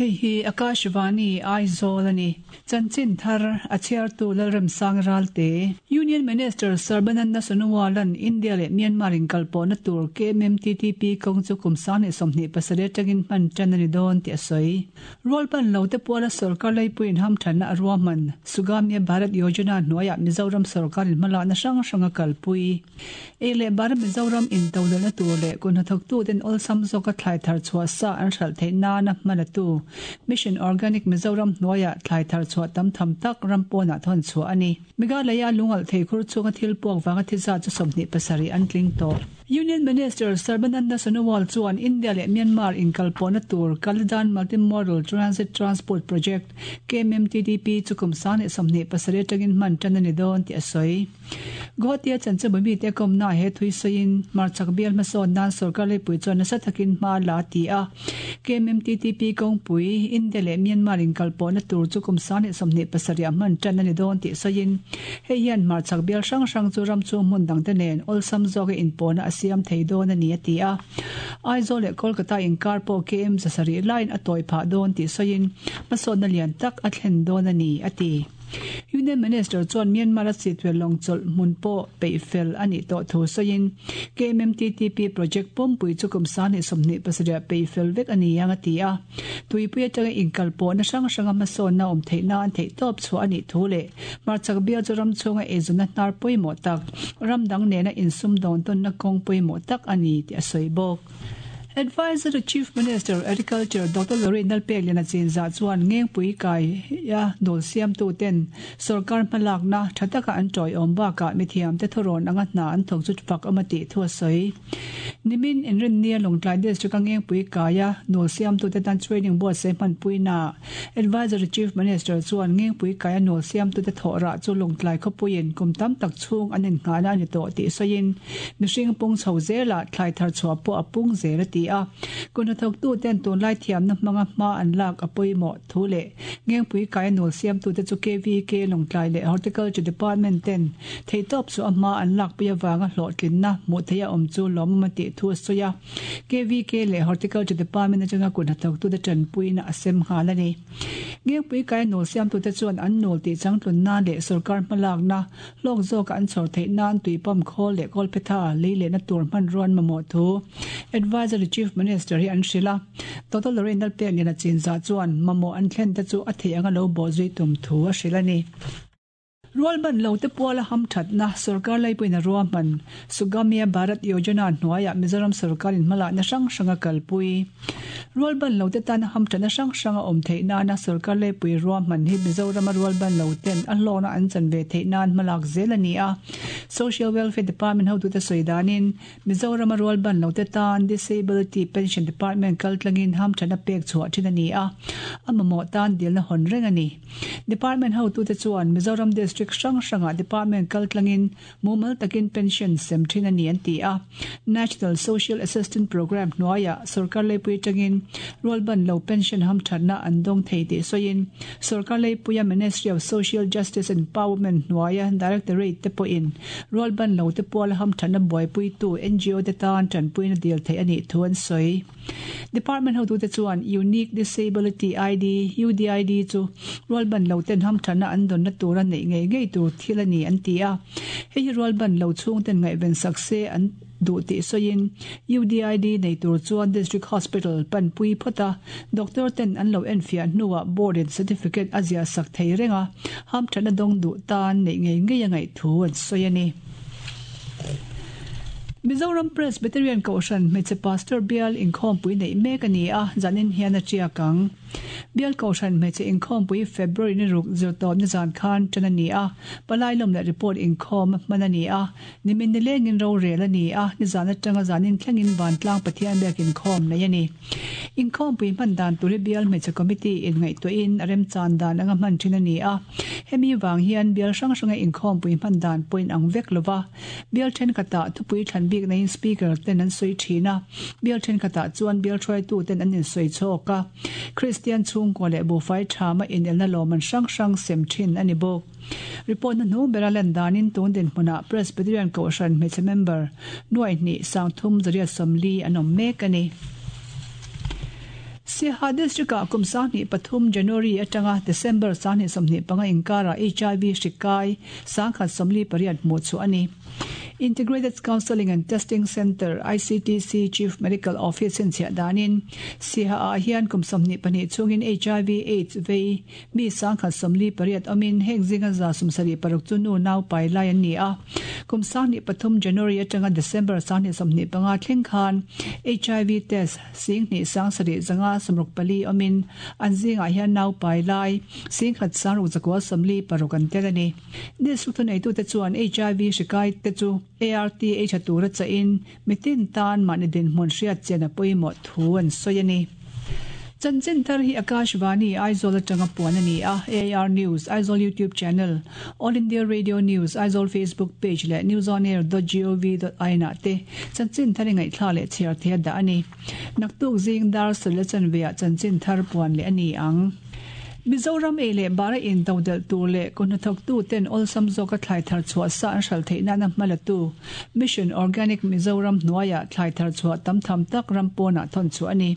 Hei hi Akashvani Aizawl a ni. Chanchin thar a chhiartu Lalremsang Ralte. Union Minister Sarbananda Sonowal-a'n India leh Myanmar inkalpawhna tur KMMTTP kawng chu kum 2027 atangin hman tan a ni dawn tih a sawi. Rualban lo te puala sorkar leipuiin hamthanna a ruahman Sugamya Bharat Yojana hnuaiah Mizoram sorkarin hmalakna hrang hrang a kalpui. Ei leh bar Mizoram intodelhna tur leh kut hnathawktuten awlsam zawka thlai thar chhuah sa an hralh theih nana hman atu Mission Organic Mizoram hnuaiah thlai thar chhuah tam tham tak ram pawnah thawn chhuah a ni. Meghalaya lungalh thei khur chhunga thil puak vanga thi zat chu 27 an tling tawh. Union Minister Sarbananda Sonowal chuan India leh Myanmar inkalpawhna tur Kaladan Multimodal Transit Transport Project, KMMTDP, chu kum 2027 atangin hman tan a ni dawn tih a sawi. Guwahati-a chanchinbu mite kawmnaah he thui sawiin hmarchhak bial hmasawn nan sorkar leipui chuan nasa takin hma a la a ti a. KMMTTP kawngpui, India leh Myanmar inkalpawhna tur chu kum 2027 ah hman tan a ni dawn tih sawiin hei hian hmarchhak bial hrang hrang chu ram chhung hmun dangte nen awlsam zawka inpawhna a siam thei dawn a ni a ti a. Aizawl leh Kolkata inkar pawh KM 700 laiin a tawi phah dawn tih sawiin hmasawnna lian tak a thlen dawn a ni a ti. Union Minister chuan Myanmar-a sitvel lawng chawlh hmun pawh peih fel a nih tawh thu sawiin KMMTTP project pawmpui chu kum 2027 peih fel vek a ni ang a ti a. Tuipui atanga inkalpawhna hrang hranga hmasawnna awm theih nan theihtawp chhuah a nih thu leh hmarchhak bial chu ram chhunga eizawnna hnar pawimawh tak, ram dang nena insumdawn tawnna kawng pawimawh tak a ni tih a sawi bawk. Adviser to Chief Minister, Agriculture, Doctor Lorraine Lalpekliana Chinzah chuan Ngengpui kai a nawl siamtu ten sorkar hmalakna tha taka an tawiawm bakah mithiamte thurawn anga hna an thawk chu fak awm a tih thu a sawi. Nimin Inrinnia Lawngtlai District a Ngengpui kai a nawl siamtu te tan training buatsaih hmanpuinaah Adviser to Chief Minister chuan Ngengpui kai a nawl siamtu te thawh rah chu Lawngtlai khawpuiin kum tam tak chhung an innghahna a ni tawh tih sawiin Mihring pung chho zelah thlai thar chhuah pawh a pung zel a ti a. Kut hnathawktuten tunlai thiamna hmanga hma an lak a pawimawh thu leh Ngengpui kaia nawl siamtute chu KVK Lawngtlai leh Horticulture Department ten theihtawp chu a hma an lakpui avanga hlawhtlinna hmuh theih a awm chu lawmawm a tih thu a sawi a. KVK leh Horticulture Department atanga kut hnathawktute tanpuina a sem nghal a ni. Ngengpui kaia nawl siamtute chuan an nawl tih changtlun nan leh sorkar hmalakna Hlawk zawka an chhawr theih nan tui pump khawl leh kawlphetha lei lehna tur hmanruan mamawh thu Adviser to Chief Minister hi an hrilh a. Doctor Lorraine Lalpekliana Chinzah chuan mamawh an thlen te chu a theih anga lo bawhzui tum thu a hrilh a ni. Rualban lo te puala hamthatna sorkar laipuiin a ruahman Sugamya Bharat Yojana hnuaiah Mizoram sorkarin hmalakna hrang hrang a kalpui. Rualban lo te tana hamthatna hrang hrang a awm theih nana sorkar leipui ruahman hi Mizorama rualban lo ten a hlawkna an chan ve theih nan hmalak zel a ni a. Social Welfare Department hotute sawi danin Mizorama rualban lo te tan Disability Pension Department kaltlangin hamthatna pek chhuah thin a ni a, a mamawh tan dilna hawn reng a ni. Department hotute chuan Mizoram District hrang hrangah Department kaltlangin Mumal takin pension sem thin a ni an ti a. National Social Assistance Programme hnuaiah sorkar leipui atangin rualban lo pension hamthatna an dawng thei tih sawiin sorkar leipuia Ministry of Social Justice and Empowerment hnuaia Directorate te pawhin rualban lo te puala hamthatna buaipuitu NGO te tan tanpuina dil theih a nih thu an sawi. Department hotute chuan Unique Disability ID, UDID, chu rualban lo ten hamthatna an dawnna tura neih ngei ngei tur thil a ni an ti a. Hei hi rualban lo chhungten ngaihven sak se an duh tih sawiin UDID nei tur chuan District Hospital panpui phawt a, doctor ten an lo enfiah hnuah board in certificate a ziah sak thei reng a, hamthatna dawng duh tan neih ngei ngei a ngaih thu an sawi a ni. Mizoram Presbyterian Kohhran Hmeichhe Pastor Bial inkhawmpui neih mek a ni a, zanin hian a tiak ang. Bial Kohhran Hmeichhe inkhawmpui February ni ruk zirtawpna zan khan tan a ni a, palai lawm leh report inkhawm hman a ni a, nimin nilengin rorel a ni a, nizan atanga zanin thlengin Vantlang Pathian biak inkhawm nei a ni. Inkhawmpui hman dan tur hi Bial Hmeichhe Committee in ngaihtuahin a remchan dan anga hman thin a ni a. Hemi vang hian bial hrang hranga inkhawmpui hman dan pawh inang vek lo va. Bial thenkhatah thupui thlan bik naiin Speaker ten an sawi thin a, bial thenkhatah chuan bial hruaitu ten an insawi chhawk a. Kristian chhungkua leh buhfai thama inelna lawmman hrang hrang sem thin a ni bawk. Report hnuhnung bera lan danin tun dinhmunah Presbyterian Kohhran hmeichhe member nuaihnih 3340 an awm mek a ni. Siaha District-ah kum 23 January atanga December 2025 inkarah HIV hri kai 148 hmuh chhuah a ni. Integrated Counselling and Testing Centre, ICTC, Chief Medical Office chhinchhiah danin Siaha-ah hian kum 22 chhungin HIV Aids vei mi 148 awmin heng zinga 76 chu nu nau pai lai an ni a. Kum 23 January atanga December 2025 thleng khan HIV test 2 7 zanga 64 awmin an zingah hian nau pai lai 1,696 an tel a ni. District thuneitute chuan HIV hri kai te chu ART ei tha tura chahin mitin tan mahni dinhmun hriat chian a pawimawh thu an sawi a ni. Chanchin thar hi Akashvani, Aizawl atanga puan a ni a, AIR News, Aizawl YouTube Channel, All India Radio News, Aizawl Facebook Page leh newsonair dot gov dot in ah te chanchin thar i ngaihthla leh chhiar thei a dah a ni. Naktuk zing dar sawlh a chanveah chanchin thar puan leh a ni ang. Mizoram ei leh bara intodelh tur leh kuhnathawktu ten awlsam zawka thlai thar chhuah sa an hral theih nana hma latu Mission Organic Mizoram hnuaiah thlai thar chhuah tam tham tak ram pawnah thawn chhuah a ni.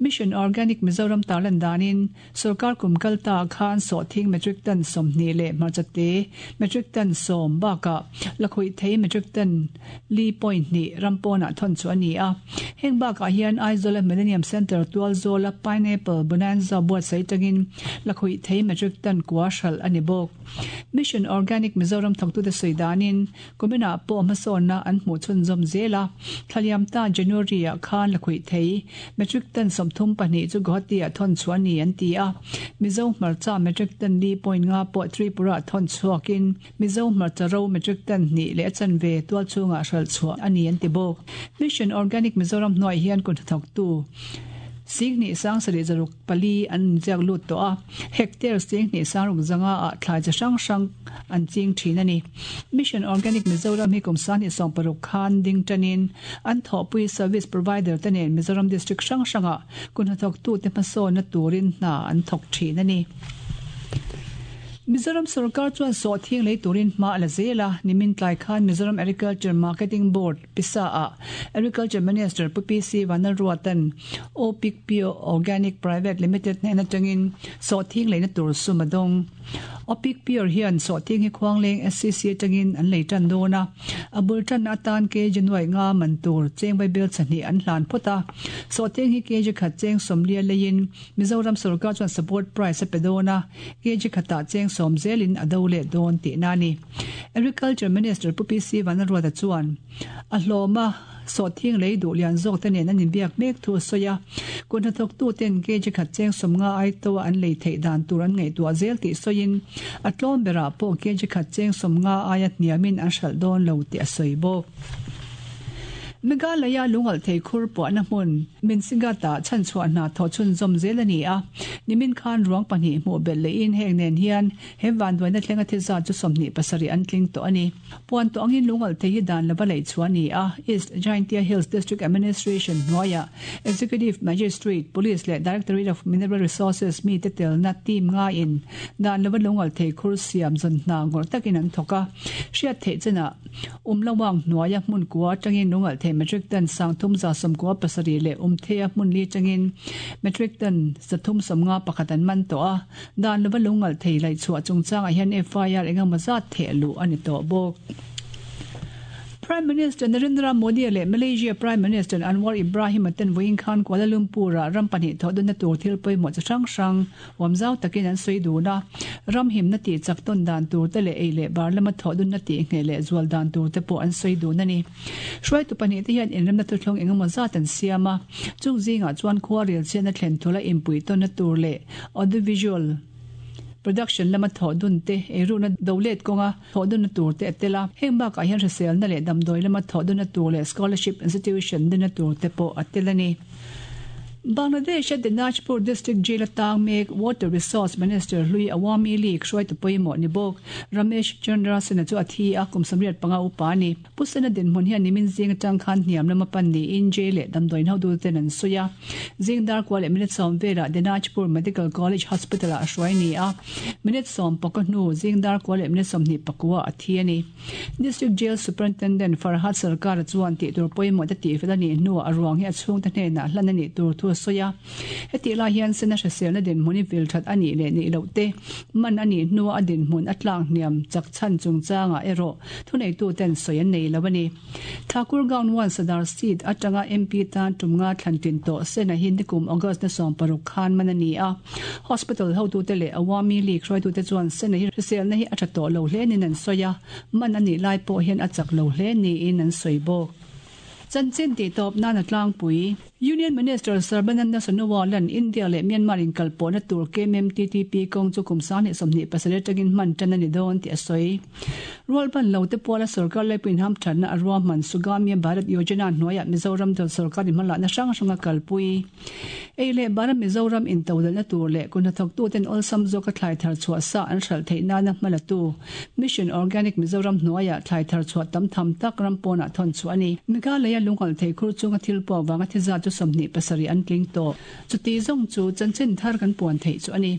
Mission Organic Mizoram tarlan danin Sorkar kum kal ta khan sawhthing metric ton 20 leh hmarcha te metric ton 10 bakah lakhuih thei metric ton li point hnih ram pawnah thawn chu a ni a. Heng bakah hian Aizawla Millennium Centre tualzawla Pineapple Bonanza buatsaih tangin lakhuih thei metric ton kua hralh a ni bawk. Mission Organic Mizoram thawktute sawi danin Kuminah pawh hmasawnna an hmuh chhunzawm zel a, thlaliam ta January-ah khan lakhuih thei metric ton 32 chu Guwahati-ah thawn chhuah a ni an ti a. Mizo hmarcha metric ton li point nga pawh Tripura-ah thawn chhuakin Mizo hmarcha ro metric ton hnih leh a chanve tual chhungah hralh chhuah a ni an ti bawk. Mission Organic Mizoram hnuaiah hian kut hnathawktu 2 7 6 pali an inziak lut tawh a, hectare 2 sangruk zanga ah thlai chi hrang hrang an ching thin a ni. Mission Organic Mizoram hi kum 2016 khan ding tanin an thawhpui service provider te nen Mizoram district hrang hrangah kut hnathawktute hmasawnna turin hna an thawk thin a ni. Mizoram sorkar chuan sawhthing lei turin hma a la zel a, nimin tlai khan Mizoram Agriculture Marketing Board, Pisa ah Agriculture Minister Pu PC Vanlalruata'n Opic Pure Organic Private Limited hnen atangin sawhthing leina tur sum a dawng. Opic Pure hian sawhthing hi Khuangleng SCC atangin an lei tan dawn a, a bul tanna atan kg nuaih nga man tur cheng vaibel chahnih an hlan phawt a. Sawhthing hi kg khat cheng sawmlia leiin Mizoram sorkar chuan support price a pe dawn a, kg khatah cheng sawm zelin a do leh dawn tihna a ni. Agriculture Minister Pu PC Vanlalruata chuan a hlawm a, sawhthing lei duh lian zawk te nen an inbiak mek thu a sawi a, kut hnathawktu ten kg khat cheng sawm nga ai to a an lei theih dan tur an ngaihtuah zel tih sawiin a tlawm berah pawh kg khat cheng sawm nga aia hniamin an hralh dawn lo tih a sawi bawk. Meghalaya lungalh thei khur puahna hmun Minsigat-ah chhanchhuah hna thawh chhunzawm zel a ni a, nimin khan ruang pahnih hmuh belh lehin heng nen hian he vanduaina thlenga thi zat chu 27 an tling tawh a ni. Puan tawh angin lungalh thei hi dan lova laih chhuah a ni a, East Jaintia Hills District Administration hnuaiah Executive Magistrate, Police leh Directorate of Mineral Resources mite telna team ngaiin dan lova lungalh thei khur siam zawn hna ngawrh takin an thawk a, hriat theih chenah Umlawang hnuaia hmun kua atangin lungalh thei metric ton 397 leh Umtheia hmun li atangin metric ton 351 an man tawh a, dan lova lungalh thei laihchhuah chungchangah hian FIR engemaw zat theh luh a ni tawh bawk. Prime Minister Narendra Modi leh Malaysia Prime Minister Anwar Ibrahim-a ten vawiin khan Kuala Lumpur-ah ram pahnih thawh dunna tur thil pawimawh chi hrang hrang Awmzau takin an sawi dun a, ram himna tih chak tawn dan tur te leh ei leh bar lama thawh dunna tih ngheh leh zual dan tur te pawh an sawi dun a ni. Hruaitu pahnih te hian inremna thuthlung engemaw zat an siam a, chung zingah chuan khua rel chhiatna thlen thula inpuih tawnna tur leh audiovisual production lama thawh dun te, eirukna do let kawnga thawh dunna tur te a tel a. Heng bakah hian hriselna leh damdawi lama thawh dunna tur leh scholarship institution dinna tur te pawh a tel a ni. Bangladesh-a Dinajpur District Jail atang mek Water Resource Minister hlui Awami League hruaitu pawimawh ni bawk Ramesh Chandra Sinha chu a thi a, kum 85 upa a ni. Pu Sinha dinhmun hian nimin zing atang khan hniam lama pan niin jail leh damdawiin hotute an sawi a. Zing dar kua leh minute sawm velah Dinajpur Medical College Hospital-ah a hruai ni a, minute sawm pakaw hnu zing dar kua leh minute sawmhnih pakua a thi a ni. District Jail Superintendent Farhad Sarkar-a chuan tih tur pawimawh te tihfel a nih hnuah a ruang hi a chhungte hnenah hlan a nih tur thu a. a sawi a. Hetih lai hian Sena hriselna dinhmun hi vil that a nih leh nih loh te, man a nih hnua a dinhmun a tlak hniam chak chhan chungchangah erawh thuneituten sawi an nei lo a ni. Thakurgaon One Sadar seat atanga MP tan tum nga thlan tlin tawh Sena hi nikum August na 16 khan man a ni a. Hospital hotute leh Awami League hruaitute chuan Sena hi hriselna hi a tha tawh lo hle niin an sawi a, man a nih lai pawh hian a chak lo hle niin an sawi bawk. Chanchin tih tawp nan a tlangpui. Union Minister Sarbananda Sonowal-a'n India leh Myanmar inkalpawhna tur KMMTTP kawng chu kum 2027 atangin hman tan a ni dawn tih a sawi. Rualban lote puala sorkar laipuiin hamthatna a ruahman Sugamya Bharat Yojana hnuaiah Mizoram dawt sorkar inhmalakna hrang hrang a kalpui. Ei leh bara Mizoram intodelhna tur leh kut hnathawktuten awlsam zawka thlai thar chhuah sa an hralh theih nana hma latu Mission Organic Mizoram hnuaiah thlai thar chhuah tam tham tak ram pawnah thawn chhuah a ni. Meghalaya lungalh thei khur chunga thil puak vanga thi zat chu 27 an tling tawh. Chuti zawng chu chanchin thar kan puan theih chu a ni.